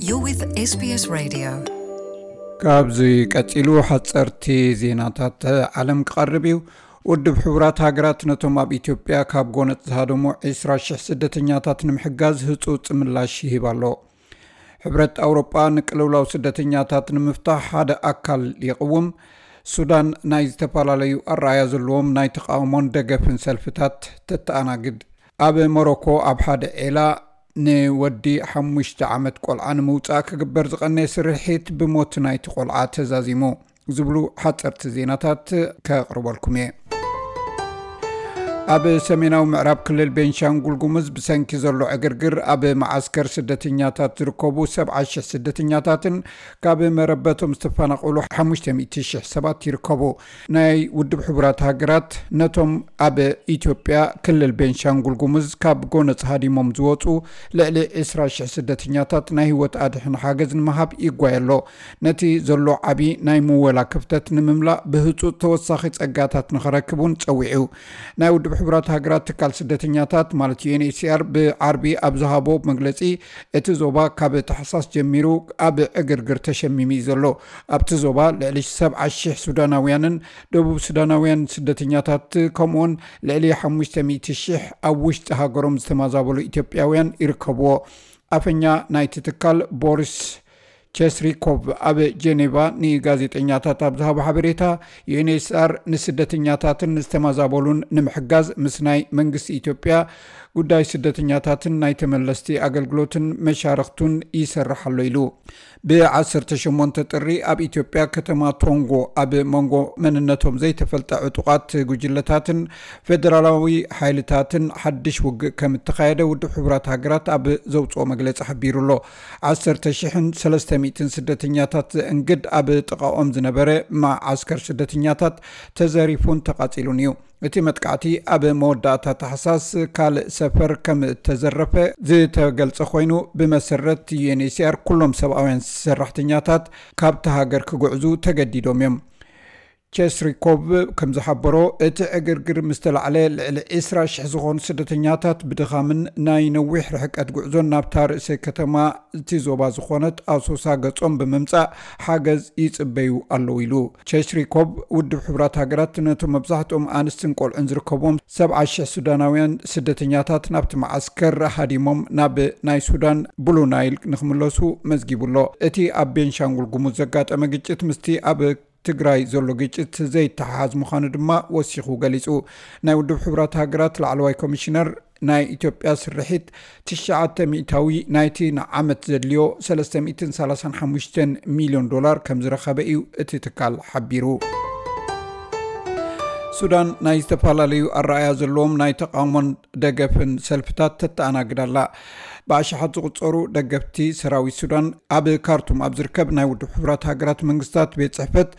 You're with S B S Radio. ካብዚ ቀጺሉ ሓጸርቲ ዜናታት ዓለም ክቐርብ እዩ። ውድብ ሕቡራት ሃገራት ነቶም ኣብ ኢትዮጵያ ካብ ጎነጽ ዝሃደሙ ዕስራ ሽሕ ስደተኛታት ንምሕጋዝ ህጹጽ ምላሽ ይህብ ኣሎ። ሕብረት ኣውሮጳ ንቅልውላው ስደተኛታት ንምፍታሕ ሓደ ኣካል ይቕውም። ሱዳን ናይ ዝተፈላለዩ ኣረኣያ ዘለዎም ናይ ተቓውሞን ደገፍን ሰልፍታት ተተኣናግድ። ኣብ ሞሮኮ ኣብ ሓደ ዔላ ንወዲ ሓሙሽተ ዓመት ቆልዓ ንምውጻእ ክግበር ዝቐነየ ስርሒት ብሞት ናይቲ ቆልዓ ተዛዚሙ ዝብሉ ሓጸርቲ ዜናታት ከቕርበልኩም እየ። ኣብ ሰሜናዊ ምዕራብ ክልል ቤንሻንጉል ጉሙዝ ብሰንኪ ዘሎ ዕግርግር ኣብ መዓስከር ስደተኛታት ዝርከቡ ሰብዓ ሽሕ ስደተኛታትን ካብ መረበቶም ዝተፈናቐሉ ሓሙሽተ ሚእቲ ሽሕ ሰባት ይርከቡ። ናይ ውድብ ሕቡራት ሃገራት ነቶም ኣብ ኢትዮጵያ ክልል ቤንሻንጉል ጉሙዝ ካብ ጎነጽ ሃዲሞም ዝወጹ ልዕሊ ዕስራ ሽሕ ስደተኛታት ናይ ህይወት ኣድሕን ሓገዝ ንምሃብ ይጓየ ኣሎ። ነቲ ዘሎ ዓቢ ናይ ምወላ ክፍተት ንምምላእ ብህጹጽ ተወሳኺ ጸጋታት ንኸረክብ እውን ጸዊዑ። ናይ ውድብ ሕቡራት ሃገራት ትካል ስደተኛታት ማለት ዩ ኤን ኤች ሲ ኣር ብዓርቢ ኣብ ዝሃቦ መግለጺ፣ እቲ ዞባ ካብ ታሕሳስ ጀሚሩ ኣብ ዕግርግር ተሸሚሙ እዩ ዘሎ። ኣብቲ ዞባ ልዕሊ ሰብዓ ሽሕ ሱዳናውያንን ደቡብ ሱዳናውያን ስደተኛታት ከምኡውን ልዕሊ ሓሙሽተ ሚእቲ ሽሕ ኣብ ውሽጢ ሃገሮም ዝተመዛበሉ ኢትዮጵያውያን ይርከብዎ። ኣፈኛ ናይቲ ትካል ቦሪስ ቸስሪኮቭ ኣብ ጀኔቫ ንጋዜጠኛታት ኣብ ዝሃቦ ሓበሬታ፣ ዩ ኤን ኤች ሲ ኣር ንስደተኛታትን ዝተመዛበሉን ንምሕጋዝ ምስ ናይ መንግስቲ ኢትዮጵያ ጉዳይ ስደተኛታትን ናይ ተመለስቲ ኣገልግሎትን መሻርኽቱን ይሰርሕ ኣሎ ኢሉ። ብ ዓሰርተ ሸሞንተ ጥሪ ኣብ ኢትዮጵያ ከተማ ቶንጎ ኣብ መንጎ መንነቶም ዘይተፈልጠ ዕጡቓት ጉጅለታትን ፌደራላዊ ሓይልታትን ሓድሽ ውግእ ከም እተኻየደ ውድብ ሕቡራት ሃገራት ኣብ ዘውፅኦ መግለፂ ሓቢሩ ኣሎ። ዓሰርተ ሽሕን ሰለስተ ሚእትን ስደተኛታት ዘእንግድ ኣብ ጥቓኦም ዝነበረ መዓስከር ስደተኛታት ተዘሪፉን ተቓፂሉን እዩ። እቲ መጥቃዕቲ ኣብ መወዳእታ ታሕሳስ ካልእ ሰፈር ከም እተዘረፈ ዝተገልጸ ኮይኑ፣ ብመሰረት ዩ ኤን ኤች ሲ ኣር ኩሎም ሰብኣውያን ሰራሕተኛታት ካብቲ ሃገር ክጉዕዙ ተገዲዶም እዮም። ቸስሪኮቭ ከም ዝሓበሮ፣ እቲ ዕግርግር ምስ ተላዕለ ልዕሊ ዕስራ ሽሕ ዝኾኑ ስደተኛታት ብድኻምን ናይ ነዊሕ ርሕቀት ጉዕዞን ናብታ ርእሰ ከተማ እቲ ዞባ ዝኾነት ኣሶሳ ገጾም ብምምጻእ ሓገዝ ይጽበዩ ኣለዉ ኢሉ። ቸስሪኮቭ፣ ውድብ ሕቡራት ሃገራት ነቶም መብዛሕትኦም ኣንስትን ቆልዑን ዝርከብዎም ሰብዓ ሽሕ ሱዳናውያን ስደተኛታት ናብቲ መዓስከር ሃዲሞም ናብ ናይ ሱዳን ብሉ ናይል ንኽምለሱ መዝጊቡ ኣሎ። እቲ ኣብ ቤንሻንጉል ጉሙዝ ዘጋጠመ ግጭት ምስቲ ኣብ ትግራይ ዘሎ ግጭት ዘይተሓሓዝ ምዃኑ ድማ ወሲኹ ገሊጹ። ናይ ውድብ ሕቡራት ሃገራት ላዕለዋይ ኮሚሽነር ናይ ኢትዮጵያ ስርሒት ትሽዓተ ሚእታዊ ናይቲ ንዓመት ዘድልዮ ሰለስተ ሚእትን ሰላሳን ሓሙሽተን ሚልዮን ዶላር ከም ዝረኸበ እዩ እቲ ትካል ሓቢሩ። ሱዳን ናይ ዝተፈላለዩ ኣረኣያ ዘለዎም ናይ ተቓውሞን ደገፍን ሰልፍታት ተተኣናግድ ኣላ። ብኣሽሓት ዝቑጸሩ ደገፍቲ ሰራዊት ሱዳን ኣብ ካርቱም ኣብ ዝርከብ ናይ ውድብ ሕቡራት ሃገራት መንግስታት ቤት ጽሕፈት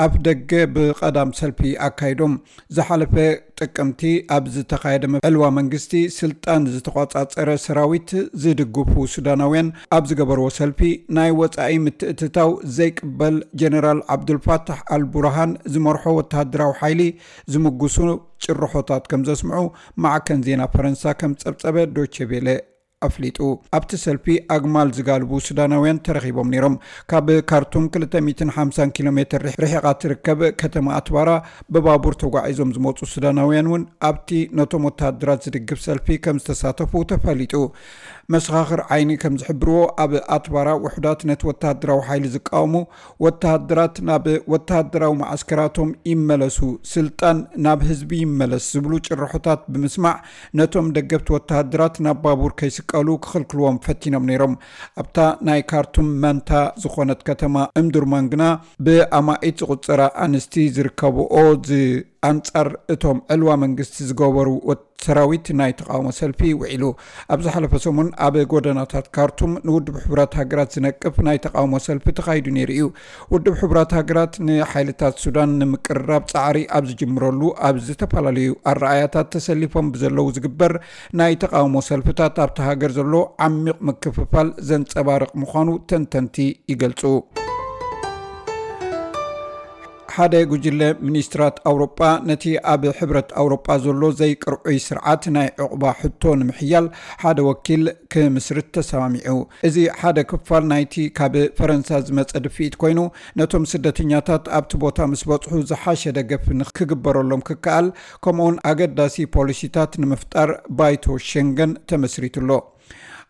ኣፍ ደገ ብቐዳም ሰልፊ ኣካይዶም። ዝሓለፈ ጥቅምቲ ኣብ ዝተኻየደ ዕልዋ መንግስቲ ስልጣን ዝተቋጻጸረ ሰራዊት ዝድግፉ ሱዳናውያን ኣብ ዝገበርዎ ሰልፊ፣ ናይ ወጻኢ ምትእትታው ዘይቅበል ጀነራል ዓብዱልፋታሕ ኣልቡርሃን ዝመርሖ ወተሃደራዊ ሓይሊ ዝምጉሱ ጭርሖታት ከም ዘስምዑ ማዕከን ዜና ፈረንሳ ከም ጸብጸበ ዶቼ ቬለ ኣፍሊጡ። ኣብቲ ሰልፊ ኣግማል ዝጋልቡ ሱዳናውያን ተረኺቦም ነይሮም። ካብ ካርቱም ክልተ ሚእትን ሓምሳን ኪሎ ሜትር ርሒቓ ትርከብ ከተማ ኣትባራ ብባቡር ተጓዒዞም ዝመጹ ሱዳናውያን እውን ኣብቲ ነቶም ወተሃደራት ዝድግፍ ሰልፊ ከም ዝተሳተፉ ተፈሊጡ። መሰኻኽር ዓይኒ ከም ዝሕብርዎ፣ ኣብ ኣትባራ ውሑዳት ነቲ ወተሃደራዊ ሓይሊ ዝቃወሙ፣ ወተሃደራት ናብ ወተሃደራዊ መዓስከራቶም ይመለሱ፣ ስልጣን ናብ ህዝቢ ይመለስ ዝብሉ ጭርሖታት ብምስማዕ፣ ነቶም ደገፍቲ ወተሃደራት ናብ ባቡር ከይስቀሉ ክኽልክልዎም ፈቲኖም ነይሮም። ኣብታ ናይ ካርቱም መንታ ዝኾነት ከተማ እምዱርማን ግና ብኣማኢት ዝቑጸራ ኣንስቲ ዝርከብኦ፣ ዝ-፣ ኣንጻር እቶም ዕልዋ መንግስቲ ዝገበሩ ወት-፣ ሰራዊት ናይ ተቓውሞ ሰልፊ ውዒሉ። ኣብ ዝሓለፈ ሰሙን ኣብ ጎደናታት ካርቱም ንውድብ ሕቡራት ሃገራት ዝነቅፍ ናይ ተቓውሞ ሰልፊ ተኻይዱ ነይሩ እዩ። ውድብ ሕቡራት ሃገራት ንሓይልታት ሱዳን ንምቅርራብ ጻዕሪ ኣብ ዝጅምረሉ፣ ኣብ ዝተፈላለዩ ኣረኣያታት ተሰሊፎም ብዘለዉ ዝግበር ናይ ተቓውሞ ሰልፍታት ኣብቲ ሃገር ዘሎ ዓሚቕ ምክፍፋል ዘንጸባርቕ ምዃኑ ተንተንቲ ይገልጹ። ሓደ ጉጅለ ሚኒስትራት ኣውሮጳ ነቲ ኣብ ሕብረት ኣውሮጳ ዘሎ ዘይቅርዑይ ስርዓት ናይ ዕቑባ ሕቶ ንምሕያል ሓደ ወኪል ክምስርት ተሰማሚዑ። እዚ ሓደ ክፋል ናይቲ ካብ ፈረንሳ ዝመጸ ድፍኢት ኮይኑ፣ ነቶም ስደተኛታት ኣብቲ ቦታ ምስ በጽሑ ዝሓሸ ደገፍ ንክግበረሎም ክከኣል፣ ከምኡውን ኣገዳሲ ፖሊሲታት ንምፍጣር ባይቶ ሸንገን ተመስሪቱ ኣሎ።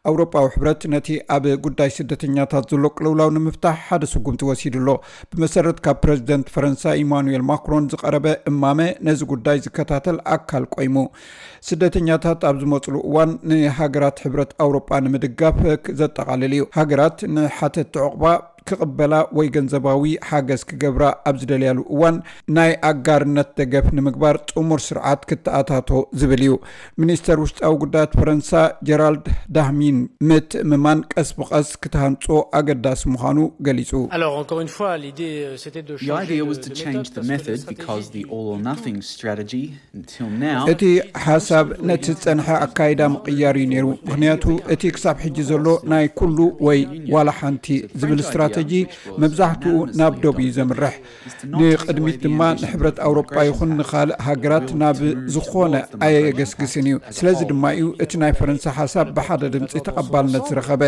ኣውሮጳዊ ሕብረት ነቲ ኣብ ጉዳይ ስደተኛታት ዘሎ ቅልውላው ንምፍታሕ ሓደ ስጉምቲ ወሲዱ ኣሎ። ብመሰረት ካብ ፕረዚደንት ፈረንሳ ኢማኑኤል ማክሮን ዝቐረበ እማመ፣ ነዚ ጉዳይ ዝከታተል ኣካል ቆይሙ። ስደተኛታት ኣብ ዝመፅሉ እዋን ንሃገራት ሕብረት ኣውሮጳ ንምድጋፍ ዘጠቓልል እዩ። ሃገራት ንሓተቲ ዕቑባ ክቕበላ ወይ ገንዘባዊ ሓገዝ ክገብራ ኣብ ዝደልያሉ እዋን፣ ናይ ኣጋርነት ደገፍ ንምግባር ጥሙር ስርዓት ክተኣታቶ ዝብል እዩ። ሚኒስተር ውሽጣዊ ጉዳያት ፈረንሳ ጀራልድ ዳህሚን፣ ምትእምማን ቀስ ብቐስ ክትሃንጾ ኣገዳሲ ምዃኑ ገሊጹ። Alors, encore une fois, l'idée, euh, c'était de The changer idea de, was de to change méthode the parce que la method stratégie because the du, all or du tout nothing strategy until now እቲ ሓሳብ ነቲ ዝጸንሐ ኣካይዳ ምቕያር እዩ ነይሩ። ምኽንያቱ እቲ ክሳብ ሕጂ ዘሎ ናይ ኩሉ ወይ ዋላ ሓንቲ ዝብል ስትራተጂ መብዛሕትኡ ናብ ዶብ እዩ ዘምርሕ። ንቕድሚት ድማ ንሕብረት ኣውሮጳ ይኹን ንኻልእ ሃገራት ናብ ዝኾነ ኣየገስግስን እዩ። ስለዚ ድማ እዩ እቲ ናይ ፈረንሳ ሓሳብ ብሓደ ድምፂ ተቐባልነት ዝረኸበ።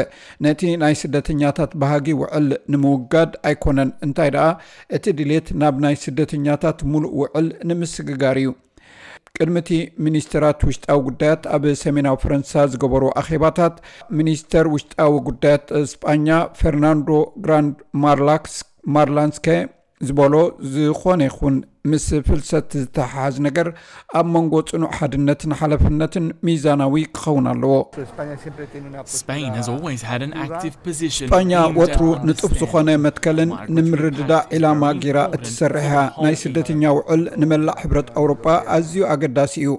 ነቲ ናይ ስደተኛታት ባህጊ ውዕል ንምውጋድ ኣይኮነን፣ እንታይ ደኣ እቲ ድሌት ናብ ናይ ስደተኛታት ሙሉእ ውዕል ንምስግጋር እዩ። ቅድሚ እቲ ሚኒስትራት ውሽጣዊ ጉዳያት ኣብ ሰሜናዊ ፈረንሳ ዝገበሩ ኣኼባታት፣ ሚኒስተር ውሽጣዊ ጉዳያት ስጳኛ ፈርናንዶ ግራንድ ማርላክስ ማርላንስከ ዝበሎ፣ ዝኾነ ይኹን ምስ ፍልሰት ዝተሓሓዝ ነገር ኣብ መንጎ ጽኑዕ ሓድነትን ሓላፍነትን ሚዛናዊ ክኸውን ኣለዎ። Spain has always had an active position. ስጳኛ ወትሩ ንጡፍ ዝኾነ መትከልን ንምርድዳእ ዒላማ ጌራ እትሰርሕ እያ። ናይ ስደተኛ ውዕል ንመላእ ሕብረት ኣውሮጳ ኣዝዩ ኣገዳሲ እዩ።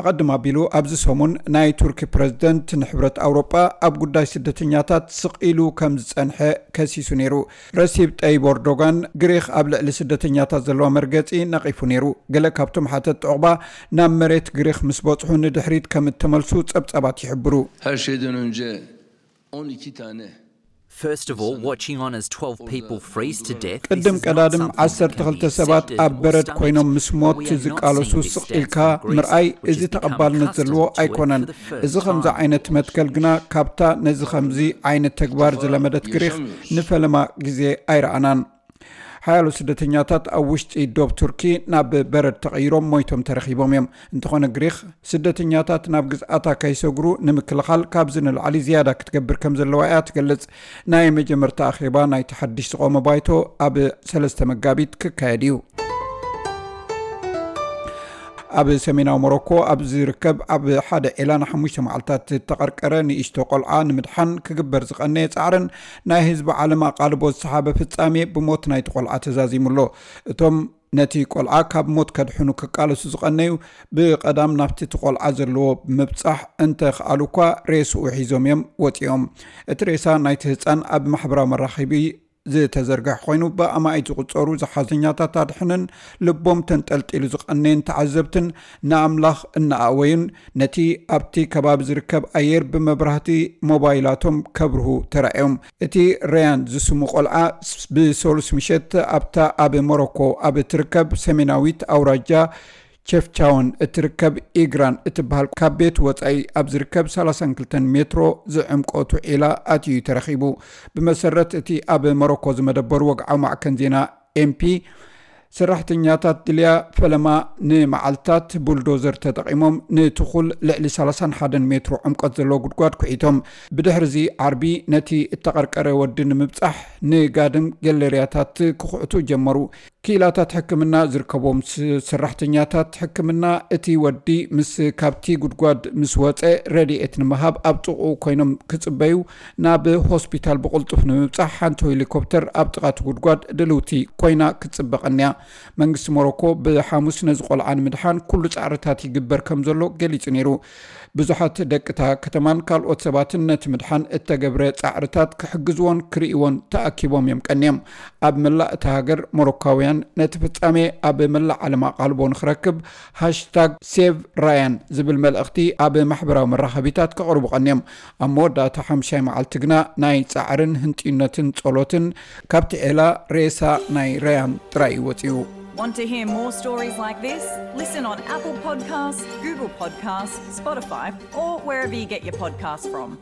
ኣቐድም ኣቢሉ ኣብዚ ሰሙን ናይ ቱርኪ ፕረዚደንት ንሕብረት ኣውሮጳ ኣብ ጉዳይ ስደተኛታት ስቕ ኢሉ ከም ዝጸንሐ ከሲሱ ነይሩ። ረሲብ ጠይብ ኤርዶጋን ግሪኽ ኣብ ልዕሊ ስደተኛታት ዘለዋ መርገጺ ነቒፉ ነይሩ። ገለ ካብቶም ሓተት ዕቑባ ናብ መሬት ግሪኽ ምስ በጽሑ ንድሕሪት ከም እተመልሱ ጸብጻባት ይሕብሩ። Her şeyden önce on iki tane First of all, watching on as twelve people freeze to death. ቅድም ቀዳድም ዓሰርተ ክልተ ሰባት ኣብ በረድ ኮይኖም ምስ ሞት ዝቃለሱ ስቕ ኢልካ ምርኣይ፣ እዚ ተቐባልነት ዘለዎ ኣይኮነን። እዚ ከምዚ ዓይነት መትከል ግና ካብታ ነዚ ከምዚ ዓይነት ተግባር ዝለመደት ግሪኽ ንፈለማ ግዜ ኣይረኣናን። ሓያሎ ስደተኛታት ኣብ ውሽጢ ዶብ ቱርኪ ናብ በረድ ተቐይሮም ሞይቶም ተረኺቦም እዮም። እንተኾነ ግሪኽ ስደተኛታት ናብ ግዝኣታ ከይሰግሩ ንምክልኻል ካብዚ ንላዕሊ ዝያዳ ክትገብር ከም ዘለዋ እያ ትገልጽ። ናይ መጀመርታ ኣኼባ ናይቲ ሓድሽ ዝቖመ ባይቶ ኣብ ሰለስተ መጋቢት ክካየድ እዩ። ኣብ ሰሜናዊ ሞሮኮ ኣብ ዝርከብ ኣብ ሓደ ዒላ ንሓሙሽተ መዓልታት ዝተቐርቀረ ንእሽቶ ቆልዓ ንምድሓን ክግበር ዝቐነየ ጻዕርን ናይ ህዝቢ ዓለም ኣቓልቦ ዝሰሓበ ፍጻሜ ብሞት ናይቲ ቆልዓ ተዛዚሙ ኣሎ። እቶም ነቲ ቆልዓ ካብ ሞት ከድሕኑ ክቃለሱ ዝቐነዩ ብቐዳም ናብቲ እቲ ቆልዓ ዘለዎ ብምብጻሕ እንተ ኸኣሉ እኳ ሬስኡ ሒዞም እዮም ወጺኦም። እቲ ሬሳ ናይቲ ህጻን ኣብ ማሕበራዊ መራኸቢ ዝተዘርግሐ ኮይኑ ብኣማኢት ዝቑጸሩ ዝሓዘኛታት ኣድሕንን ልቦም ተንጠልጢሉ ዝቐነየን ተዓዘብትን ንኣምላኽ እናኣወዩን ነቲ ኣብቲ ከባቢ ዝርከብ ኣየር ብመብራህቲ ሞባይላቶም ከብርሁ ተራእዮም። እቲ ረያን ዝስሙ ቆልዓ ብሰሉስ ምሸት ኣብታ ኣብ ሞሮኮ ኣብ እትርከብ ሰሜናዊት ኣውራጃ ቸፍቻውን እትርከብ ኢግራን እትበሃል ካብ ቤት ወጻኢ ኣብ ዝርከብ ሰላሳን ክልተን ሜትሮ ዝዕምቆቱ ዒላ ኣትዩ ተረኺቡ። ብመሰረት እቲ ኣብ ሞሮኮ ዝመደበሩ ወግዓዊ ማዕከን ዜና ኤምፒ፣ ሰራሕተኛታት ድልያ ፈለማ ንመዓልታት ቡልዶዘር ተጠቒሞም ንትኹል ልዕሊ ሰላሳን ሓደን ሜትሮ ዕምቆት ዘለዎ ጉድጓድ ኩዒቶም። ብድሕርዚ ዓርቢ ነቲ እተቐርቀረ ወዲ ንምብጻሕ ንጋድም ገለርያታት ክኹዕቱ ጀመሩ። ክኢላታት ሕክምና ዝርከቦም ስ-፣ ሰራሕተኛታት ሕክምና እቲ ወዲ ምስ ካብቲ ጉድጓድ ምስ ወጸ ረድኤት ንምሃብ ኣብ ጥቕኡ ኮይኖም ክጽበዩ ናብ ሆስፒታል ብቕልጡፍ ንምብጻሕ ሓንቲ ሄሊኮፕተር ኣብ ጥቓ እቲ ጉድጓድ ድልውቲ ኮይና ክትጽበ ቀንያ። መንግስቲ ሞሮኮ ብሓሙስ ነዚ ቆልዓ ንምድሓን ኩሉ ጻዕርታት ይግበር ከም ዘሎ ገሊጹ ነይሩ። ብዙሓት ደቂ እታ ከተማን ካልኦት ሰባትን ነቲ ምድሓን እተገብረ ጻዕርታት ክሕግዝዎን ክርእይዎን ተኣኪቦም እዮም ቀንዮም። ኣብ መላእ እታ ሃገር ሞሮካውያን ነቲ ፍጻሜ ኣብ መላእ ዓለም ኣቓልቦ ንኽረክብ ሃሽታግ ሴቭ ራያን ዝብል መልእኽቲ ኣብ ማሕበራዊ መራኸቢታት ከቕርቡ ቀንዮም። ኣብ መወዳእታ ሓምሻይ መዓልቲ ግና ናይ ጻዕርን ህንጥዩነትን ጸሎትን ካብቲ ዔላ ሬሳ ናይ ራያን ጥራይ እዩ ወጺኡ። Want to hear more stories like this? Listen on Apple Podcasts, Google Podcasts, Spotify, or wherever you get your podcasts from.